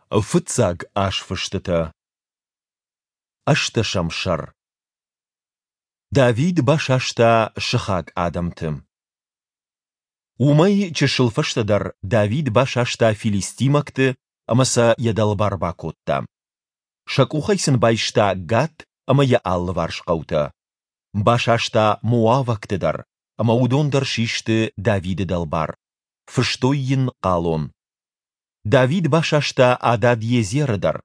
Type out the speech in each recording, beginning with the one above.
Фыццаг азфыстытӕ. Ӕстдӕсӕм сӕр. Давид басаста сыхаг адӕмты. Уымӕй чысыл фӕстӕдӕр Давид басаста филистимӕгты ӕмӕ сӕ йӕ дӕлбар бакодта. Сӕ къухӕй сын байста Гат ӕмӕ йӕ алыварс хъӕутӕ. Басаста моавӕгты дӕр, ӕмӕ уыдон дӕр систы Давиды дӕлбар, фыстой йын хъалон. Давид басаста Адад-Езеры дӕр,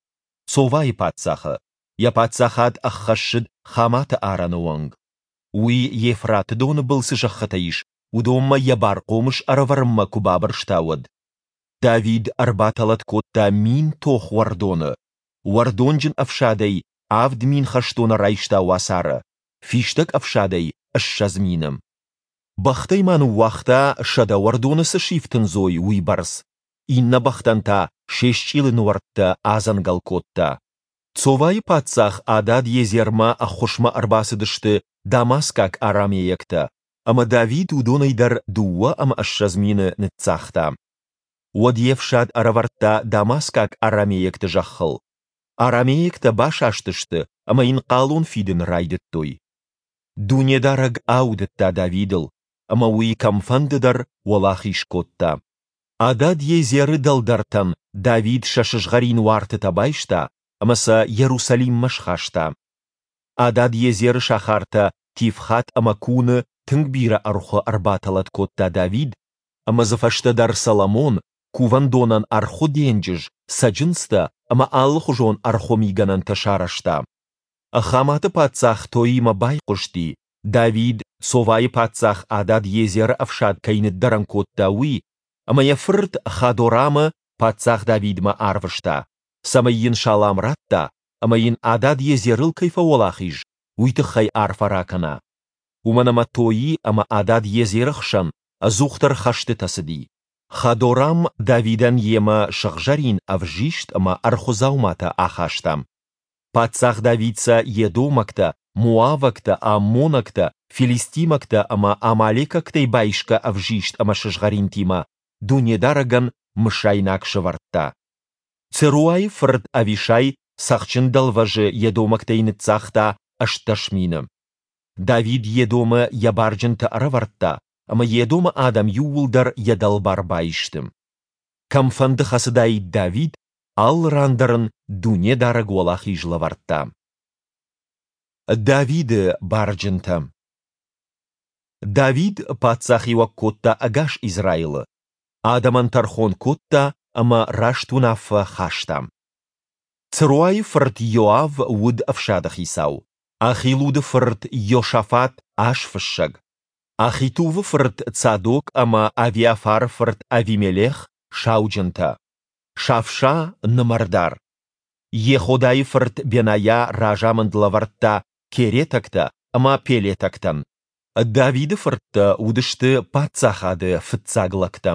Цовайы паддзахы, йӕ паддзахад ӕххӕссыд Хаматы арӕны онг. Уый Евфраты доны был цы зӕххытӕ ис, уыдонмӕ йӕ бархъомыс ӕрӕвӕрынмӕ куы бабырста, уӕд. Давид ӕрбатӕлӕт кодта мин тохуӕрдоны, уӕрдонджын ӕфсадӕй 7000 хӕстоны райста уацары, фистӕг ӕфсадӕй 20 000. Бӕхтӕй ма ныууагъта, 100 уӕрдоны цы сифтындзой, уыйбӕрц, иннӕ бӕхтӕн та се счъилы нуӕрттӕ адзӕнгӕл кодта. Цовайы паддзах Адад-Езермӕ ӕххуысмӕ ӕрбацыдысты дамаскаг арамейӕгтӕ, ӕмӕ Давид уыдонӕй дӕр 22 000 ныццагъта. Уӕд йе фсад ӕрӕвӕрдта дамаскаг арамейӕгты зӕххыл. Арамейӕгтӕ басастысты ӕмӕ йын хъалон фидын райдыдтой. Дунедарӕг аудыдта Давидыл, ӕмӕ уый кӕмфӕнды дӕр уӕлахиз кодта. Адад-Езеры дӕлдӕртӕн Давид сӕ сызгъӕрин уартытӕ байста ӕмӕ сӕ Йерусалиммӕ схаста. Адад-Езеры сахартӕ Тифхат ӕмӕ Куны тынг бирӕ ӕрхуы ӕрбатӕлӕт кодта Давид, ӕмӕ дзы фӕстӕдӕр Соломон кувӕндонӕн ӕрхуы денджыз, цӕджындзтӕ ӕмӕ алыхуызон ӕрхуы мигӕнӕнтӕ сарӕзта. Хаматы паддзах Тоимӕ байхъуысти, Давид Цовайы паддзах Адад-Езеры ӕфсад кӕй ныддӕрӕн кодта, уый, ӕмӕ йӕ фырт Хадорамы паддзах Давидмӕ арвыста, цӕмӕй йын салам ратта ӕмӕ йын Адад-Езерыл кӕй фӕуӕлахиз, уый тыххӕй арфӕ ракӕна. Уымӕн ӕмӕ Тои ӕмӕ Адад-Езеры хсӕн ӕдзухдӕр хӕстытӕ цыди. Хадорам Давидӕн йемӕ сыгъзӕрин, ӕвзист ӕмӕ ӕрхуы дзауматӕ ахаста. Паддзах Давид сӕ едомӕгтӕ, моавӕгтӕ, аммонӕгтӕ, филистимӕгтӕ ӕмӕ амалекӕгтӕй байсгӕ ӕвзист ӕмӕ сызгъӕринтимӕ Дунедарӕгӕн мысайнаг сӕвӕрдта. Церуайы фырт Авишай Цӕхджын дӕлвӕзы едомӕгтӕй ныццагъта 18 000. Давид Едомы йӕ барджынты ӕрӕвӕрдта, ӕмӕ Едомы адӕм иууылдӕр йӕ дӕлбар баисты. Кӕмфӕнды хӕцыдаид Давид, алы ран дӕр ын Дунедарӕг уӕлахиз лӕвӕрдта. Давиды барджынтӕ. Давид паддзахиуӕг кодта ӕгас Израилы, адӕмӕн тӕрхон кодта ӕмӕ раст уынаффӕ хаста. Церуайы фырт Иоав уыд ӕфсады хицау, Ахилуды фырт Иосафат азфыссӕг, Ахитувы фырт Цадок ӕмӕ Авиафары фырт Авимелех сауджынтӕ, Савша нымӕрдар. Йеходайы фырт Бенайа разамынд лӕвӕрдта керетӕгтӕ ӕмӕ пелетӕгтӕн. Давиды фырттӕ уыдысты паддзахады фыццаг лӕгтӕ.